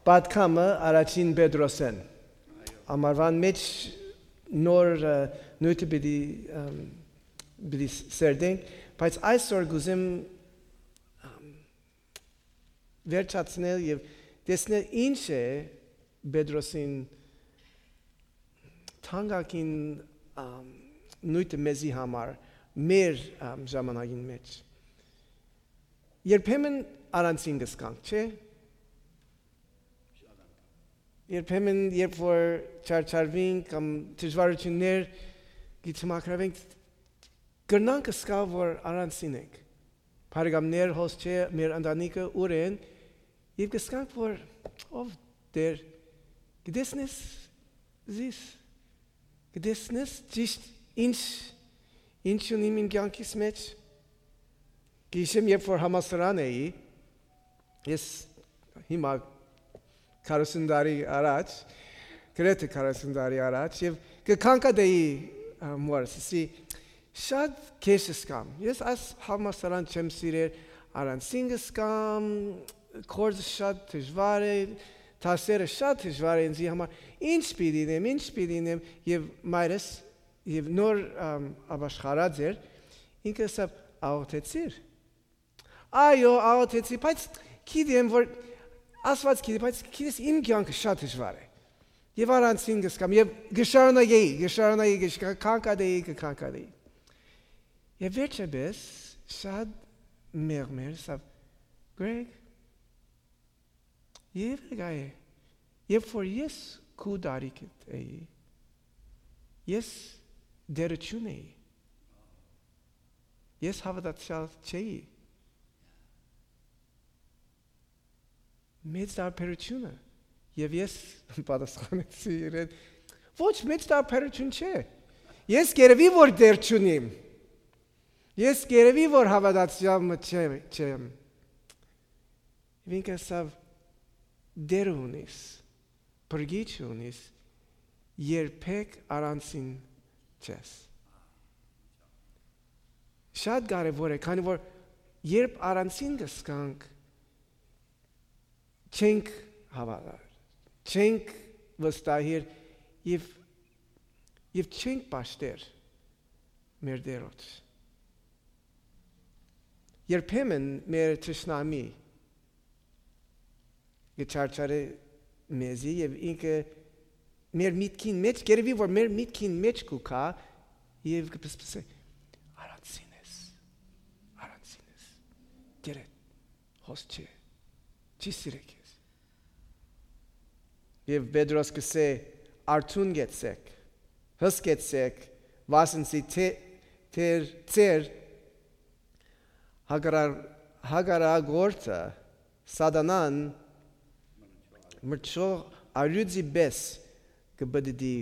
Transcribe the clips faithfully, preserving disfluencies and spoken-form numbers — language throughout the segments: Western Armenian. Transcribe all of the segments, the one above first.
Պատգամը առաջին Պետրոսէն։ Ամառուան մէջ նոր, ը, նիւթը պիտի, ըմ, պիտի ս-, սերտենք, բայց այսօր կ'ուզեմ, ըմ, վերջացնել եւ տեսնել ինչ է Պետրոսին թանկագին, ըմ, նիւթը մեզի համար, մեր, ըմ, ժամանակին մէջ։ Երբեմն առանձին կ'զգանք, չէ՞։ Երբեմն, երբ որ չարչարուենք կամ դժվարութիւններ կը դիմագրաւենք, կրնանք զգալ, որ առանձին ենք։ Բարեկամներ, հոս չէ, մեր ընտանիքը ուր են, եւ կ'զգանք, որ, ով Տէր, կը տեսնես զիս, կը տեսնես ճիշտ ինչ, ինչ ունիմ իմ կեանքիս մէջ։ Կը յիշեմ, երբ որ համալսարան էի, ես հիմա քառասուն տարի առաջ, գրեթէ քառասուն տարի առաջ, եւ կը քանքատէի, ա, մորս, ասի, շատ քեշ ըսկամ։ Ես այս համալսարան չեմ սիրեր, առանձին կ'զգամ, գործը շատ դժուար է, դասերը շատ դժուար են ինձի համար։ Ինչ պիտի ընեմ, ինչ պիտի ընեմ, եւ մայրս, եւ նոր, ամ, ապաշխարած էր, ինքը ասաւ, «Աղօթեցի՞ր»։ «Այո, աղօթեցի, բայց գիտեմ, որ Աստուած գիտի, բայց գիտես, իմ կեանքը շատ դժուար է։ Եւ առանձին կ'զգամ, եւ կը շարունակեի, կը շարունակեի, կը շ-, կը քանքատէի, կը քանքատէի»։ Եւ վերջապէս շատ մեղմ էր, ասաւ, «Գրեգ, երեւի գայ է, երբ որ ես քու տարիքդ էի, ես դերություն էի, ես հաւատացեալ չէի»։ Մեծ տարբերութիւնը։ Եւ ես պատասխանեցի իրեն, «Ոչ, մեծ տարբերութիւն չէ։ Ես կ'երեւի որ դեր չունիմ։ Ես կ'երեւի որ հաւատացեալ մը չեմ, չեմ»։ Եւ ինքը ասաւ, «Դեր ունիս, փրկիչ ունիս, երբեք առանձին չես»։ Շատ կարեւոր է, քանի որ երբ առանձին կ'զգանք, չենք հաւատար, չենք վստահիր եւ, եւ չենք պաշտեր մեր Տէրոջ։ Երբեմն մեր թշնամի կը չարչարէ մեզի եւ ինքը մեր միտքին մէջ, կ'երեւի որ մեր միտքին մէջ կու գայ եւ կը պսպսէ, «Առանձին ես, առանձին ես, դերեդ հոս չէ, չի սիրե քեզ»։ Եւ Պետրոս կ'ըսէ, «Արթուն կեցեք, հսկեցեք, վասն զի թէ-, թեր-, ձեր հակառ-, հակառակորդը, Սատանան, մրցող առիւծի պէս կը պտտի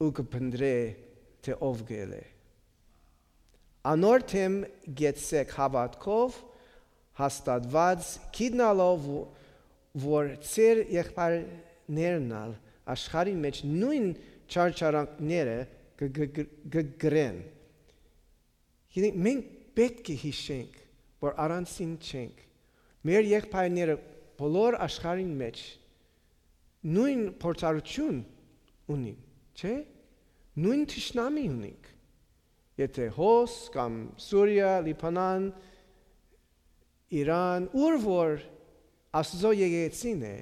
ու կը փնտռէ, թէ ով կ'ելլէ։ Անոր դէմ կեցցէք հաւատքով հաստատուած, գիտնալով, որ ձեր եղբայրներն ալ աշխարհին մէջ նոյն չարչարանքները կը, կը, կը, կը կրեն»։ Գիտենք, մենք պէտք է յիշենք, որ առանձին չենք։ Մեր եղբայրները բոլոր աշխարհին մէջ նոյն փորձառութիւն ունին, չէ՞։ Նոյն թշնամի ունինք։ Եթէ հոս կամ Սուրիա, Լիբանան, Իրան, ուր որ Աստուծոյ եկեղեցին է,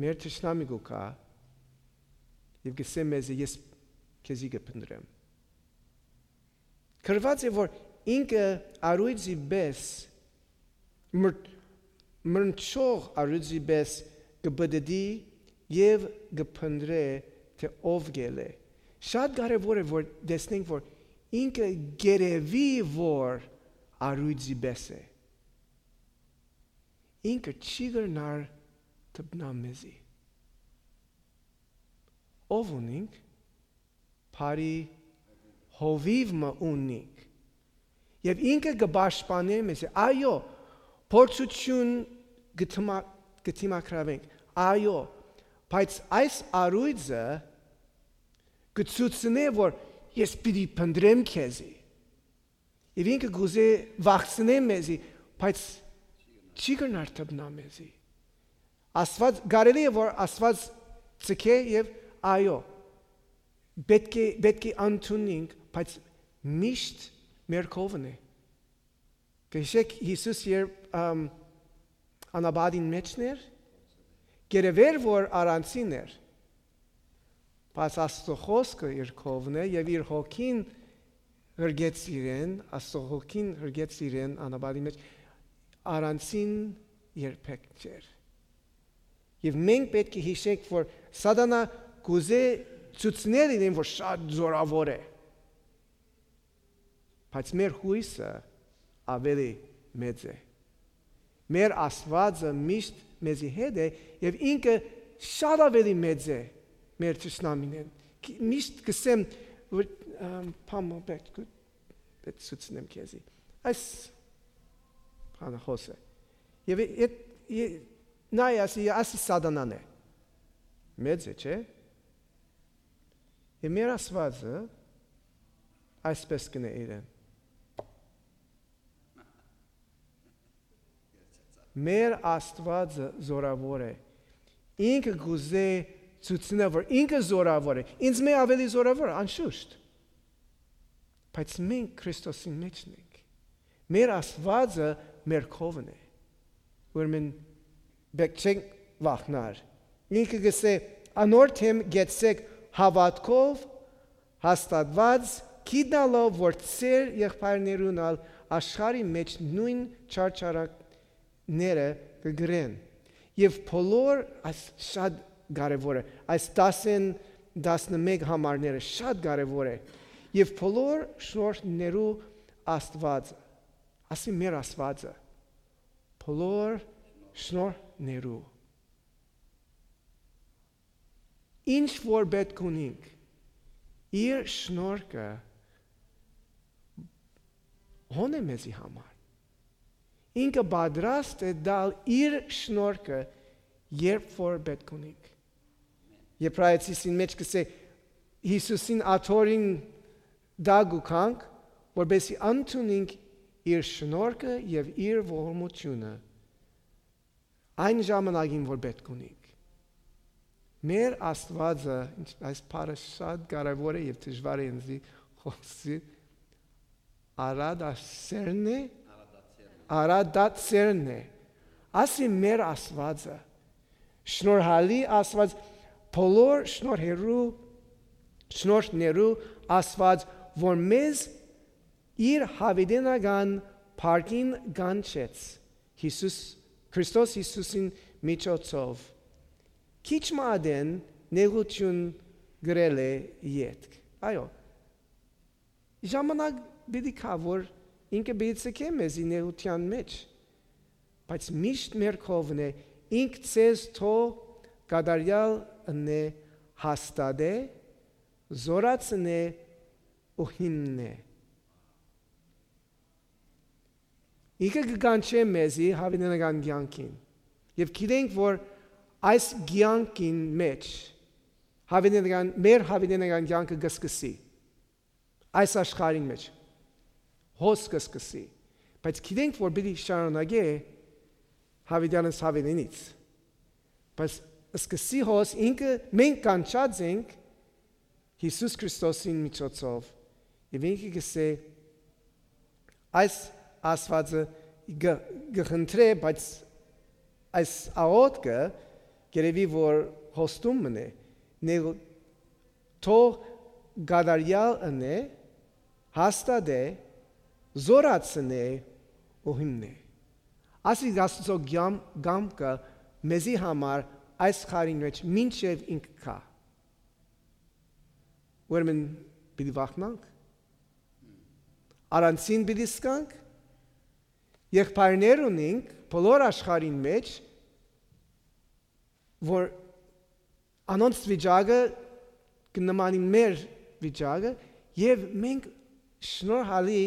մեր թշնամի կու գայ եւ կ'ըսէ մեզի, «Ես քեզի կը փնտռեմ»։ Գրուած է, որ ինքը առիւծի պէս, մր-, մրցող առիւծի պէս կը պտտի եւ կը փնտռէ, թէ ով կ'ելլէ։ Շատ կարեւոր է, որ տեսնենք, որ ինքը կ'երեւի որ առիւծի պէս է։ Ինքը չի կրնար դպնալ մեզի։ Ով ունինք, բարի հովիւ մը ունինք։ Եւ ինքը կը պաշտպանէ մեզի։ Այո, փորձութիւն կը դիմա-, կը դիմագրաւենք։ Այո, բայց այս առիւծը կը ցուցնէ, որ ես պիտի փնտռեմ քեզի։ Եւ ինքը կ'ուզէ վախցնէ մեզի, բայց չի կրնար դպնալ մեզի։ Աստուած, կարելի է որ Աստուած ձգէ եւ այո, պէտք է, պէտք է ընդունինք, բայց միշտ մեր քովն է։ Կը յիշէք Յիսուս երբ, ամ, անապատին մէջն էր, կ'երեւէր որ առանձին էր, բայց Աստուծոյ խօսքը իր քովն է եւ իր հոգին ղրկեց իրեն, Աստուծոյ հոգին ղրկեց իրեն անապատին մէջ, առանձին երբեք չէր։ Եւ մենք պէտք է յիշենք որ Սատանա կ'ուզէ ցուցնել իրեն որ շատ զորաւոր է, բայց մեր յոյսը աւելի մեծ է։ Մեր Աստուածը միշտ մեզի հետ է եւ ինքը շատ աւելի մեծ է մեր թշնամիներէն։ Ք-, միշտ կ'ըսեմ որ, ամ, բան մը պէտք, պէտք ցուցնեմ քեզի։ Այս բանը խօս է։ Եւ է-, է-, է-, նայ, ասի, ասի Սատանան է։ Մեծ է, չէ՞։ Եւ մեր Աստուածը այսպես կ'ընէ իրեն։ Մեր Աստուածը զորաւոր է։ Ինքը կ'ուզէ ցուցնէ որ ինքը զորաւոր է։ Ինձմէ աւելի զորաւոր, անշուշտ։ Բայց մենք Քրիստոսին մէջն ենք։ Մեր Աստուածը մեր քովն է։ Ուրեմն պէտք չենք վախնար։ Ինքը կ'ըսէ. «Անոր դէմ գեցցէք հաւատքով հաստատուած, գիտնալով որ ձեր եղբայրներուն ալ աշխարհի մէջ նոյն չարչարանքները կը կրեն»։ Եւ բոլոր, այս շատ կարեւոր է, այս տասն, տասնմեկ համարները շատ կարեւոր է։ «Եւ բոլոր շնորհներու Աստուածը», ասի մեր Աստուածը, բոլոր շնորհներու։ Ինչ որ պէտք ունինք, իր շնորհքը հոն է մեզի համար։ Ինքը պատրաստ է տալ իր շնորհքը, երբ որ պէտք ունինք։ Եբրայեցիին մէջ կ'ըսէ. «Յիսուսին աթոռին տակ ու գանք, որպեսզի ընդունինք իր շնորհքը եւ իր ողորմութիւնը այն ժամանակին, որ պէտք ունինք»։ Մեր Աստուածը, ինչ, այս բառը շատ կարեւոր է եւ դժուար է ինձի խօսի, արադասերն է, արադացերն է, ասի մեր Աստուածը, շնորհալի Աստուած, բոլոր շնորհերու, շնորհներու Աստուած, որ մեզ իր յաւիտենական փառքին կանչեց Յիսուս, Քրիստոս Յիսուսին միջոցով, քիչ մը ատեն նեղութիւն կրելէ ետք։ Այո, ժամանակ պիտի գայ, որ ինքը պիտի ձգէ մեզի նեղութեան մէջ, բայց միշտ մեր քովն է, ինք ձեզ թող կատարեալ ընէ, հաստատէ, զօրացնէ ու հիմնէ։ Ինքը կը կանչէ մեզի յաւիտենական կեանքին։ Եւ գիտենք, որ այս կեանքին մէջ յաւիտենական, մեր յաւիտենական կեանքը կը սկսի այս աշխարհին մէջ, հոս կը սկսի, բայց գիտենք, որ պիտի շարունակէ յաւիտենից յաւիտենից։ Բայց սկսի հոս ինքը, մենք կանչած ենք Յիսուս Քրիստոսին միջոցով, եւ ինքը կ'ըսէ, այս Աստուածը կը, կը խնդրէ, բայց այս աղօթքը կ'երեւի, որ հոստում մըն է, նե-, թող կատարեալ ընէ, հաստատէ, զօրացնէ ու հիմնէ։ Ասիկ Աստուծոյ կամ-, կամքը մեզի համար այս խարին մէջ մինչեւ ինք գայ։ Ուրեմն պիտի վախնանք, առանձին պիտի զգանք, եղբայրներ ունենք բոլոր աշխարհին մէջ, որ անոնց վիճակը կը նմանի մեր վիճակը, եւ մենք շնորհալի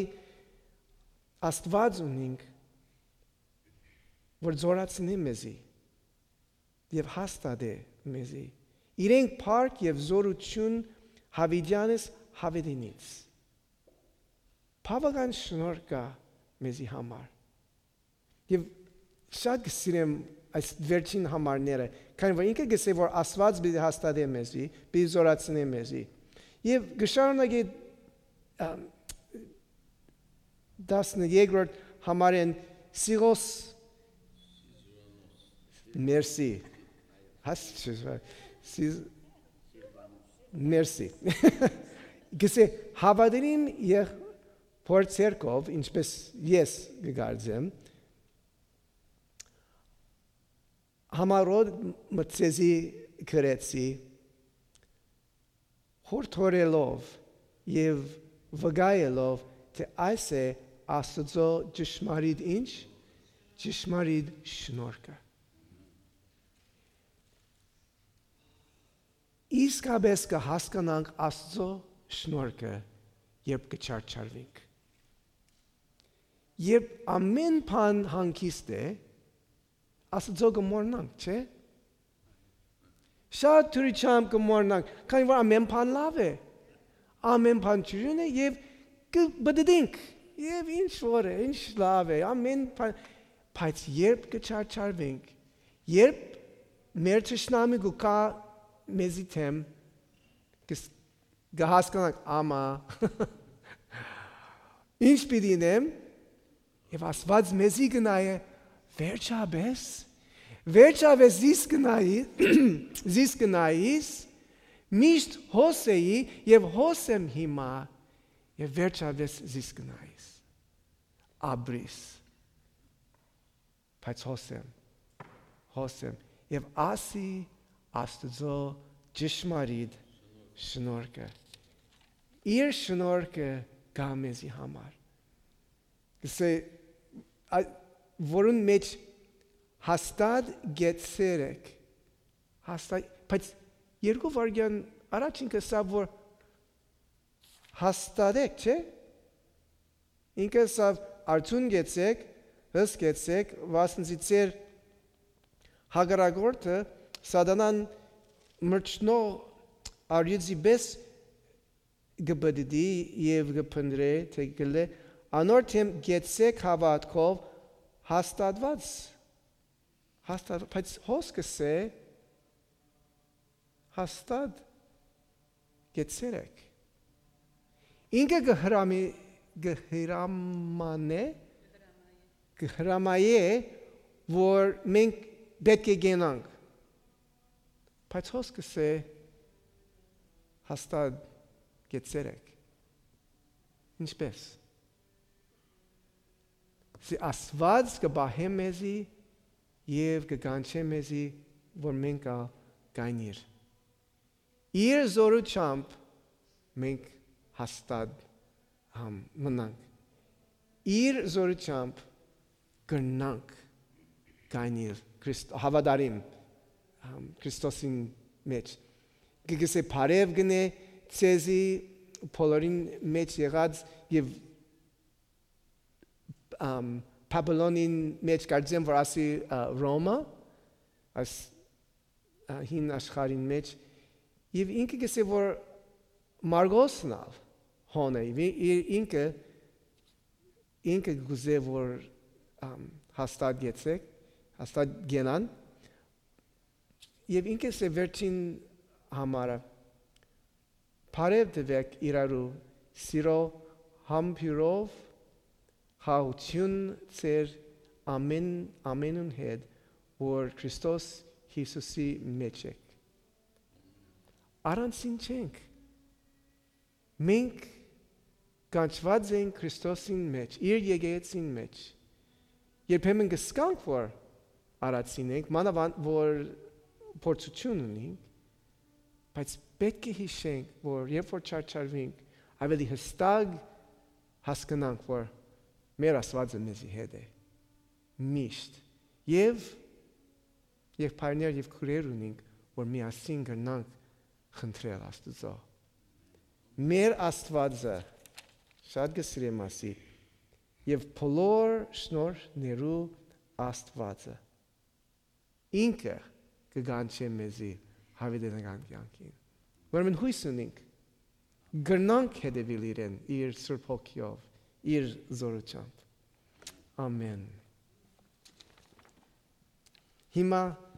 Աստուած ունենք, որ զօրացնէ մեզի եւ հաստատէ մեզի։ Իրենք փառք եւ զօրութիւն յաւիտեանս յաւիտենից։ Բաւական շնորհ կայ մեզի համար։ Եւ շատ կը սիրեմ այս վերջին համարները, քանի որ ինքը կ'ըսէ որ Աստուած պիտի հաստատէ մեզի, պիտի զօրացնէ մեզի։ Եւ կը շարունակէ, ամ, տասներկրորդ համարէն, Սիղոս, մերսի, հաս-, Սիզ-, մերսի, կ'ըսէ, հաւատարիմ եղբօր ձեռքով, ինչպէս ես կը կարծեմ, համառոտ մը ձեզի գրեցի, յորդորելով եւ վկայելով, թէ այս է Աստուծոյ ճշմարիտ ինչ, ճշմարիտ շնորհքը։ Իսկապէս կը հասկնանք Աստուծոյ շնորհքը, երբ կը չարչարուինք։ Երբ ամէն բան հանգիստ է, Աստուծոյ կը մոռնանք, չէ՞։ Շատ դրությամբ կը մոռնանք, քանի որ ամէն բան լաւ է, ամէն բան ջուրին է եւ կը պտտենք, եւ ինչ որ է, ինչ լաւ է, ամէն բան, բայց երբ կը չարչարուենք, երբ մեր թշնամի կու գայ մեզի դէմ, կը ս-, կը հասկնանք, ամա, ինչ պիտի ինեմ, եւ Աստուած մեզի կը նայէ, վերջապէս, վերջապէս զիս կը նայի-, զիս կը նայիս, միշտ հոս էի եւ հոս եմ հիմա, եւ վերջապէս զիս կը նայիս, ապրիս, բայց հոս եմ, հոս եմ, եւ ասի Աստուծոյ ճշմարիտ շնորհքը։ Իր շնորհքը կայ մեզի համար։ Կ'ըսէ, ա-, որուն մէջ հաստատ գեցեր եք։ Հաստատ, բայց երկու վայրկեան առաջ ինքը ըսաւ որ հաստատեք, չէ՞։ Ինքը ըսաւ, արթուն գեցեք, հսկեցեք, վասնզի ձեր հակառակորդը, սատանան, մրջնող արիւծի պէս կը պտտի եւ կը փնտռէ, թէ գլէ, անոր դէմ գեցեք հաւատքով հաստատուած, հաստատ-, բայց հոս կ'ըսէ, հաստատ գեցեր եք։ Ինքը կը հրամի-, կը հրամանէ, կը հրամայէ, որ մենք պէտք է գնանք։ Բայց հոս կ'ըսէ, հաստատ գեցեր եք։ Ինչպէս։ Սի Աստուած կը պահէ մեզի եւ կը կանչէ մեզի, որ մենք ալ գանք իր։ Իր զօրութեամբ մենք հաստատ, համ, մնանք։ Իր զօրութեամբ կրնանք գանք իր Քրիստ-, հաւատարիմ, համ, Քրիստոսին մէջ։ Կը գսէ բարեւ գնէ ձեզի բոլորին մէջ եղած եւ, ամ, Բաբիլոնին մէջ կարծեմ որ ասի, ա, Ռոմը, այս, ա, հին աշխարհին մէջ, եւ ինքը կ'ըսէ որ Մարգոսն ալ հոն է, եւ ի-, ի-, ինքը, ինքը կ'ուզէ որ, ամ, հաստատ գեցեք, հաստատ գնան, եւ ինքը կ'ըսէ վերջին համարը, բարեւ տուէք իրարու սիրոյ համբոյրով, խաղաղութիւն ձեր ամէն, ամէնուն հետ, որ Քրիստոս Յիսուսի մէջ եք։ Առանձին չենք։ Մենք կանչուած ենք Քրիստոսին մէջ, իր եկեղեցին մէջ։ Երբեմն կը զգանք որ առանձին ենք, մանաւանդ որ փորձութիւն ունենք, բայց պէտք է յիշենք որ երբ որ չարչարուինք, աւելի յստակ հասկնանք որ մեր Աստուածը մեզի հետ է միշտ, եւ եղբայրներ եւ քոյրեր ունենք որ միասին կրնանք խնդրել Աստուծոյ։ Մեր Աստուածը, շատ կը սիրեմ ասի, եւ բոլոր շնորհներու Աստուածը, ինքը կը կանչէ մեզի յաւիտենական կեանքին։ Ուրեմն յոյս ունենք, կրնանք հետեւիլ իրեն, իր Սուրբ Հոգիով, իր զօրութեամբ։ Ամէն։ Հիմա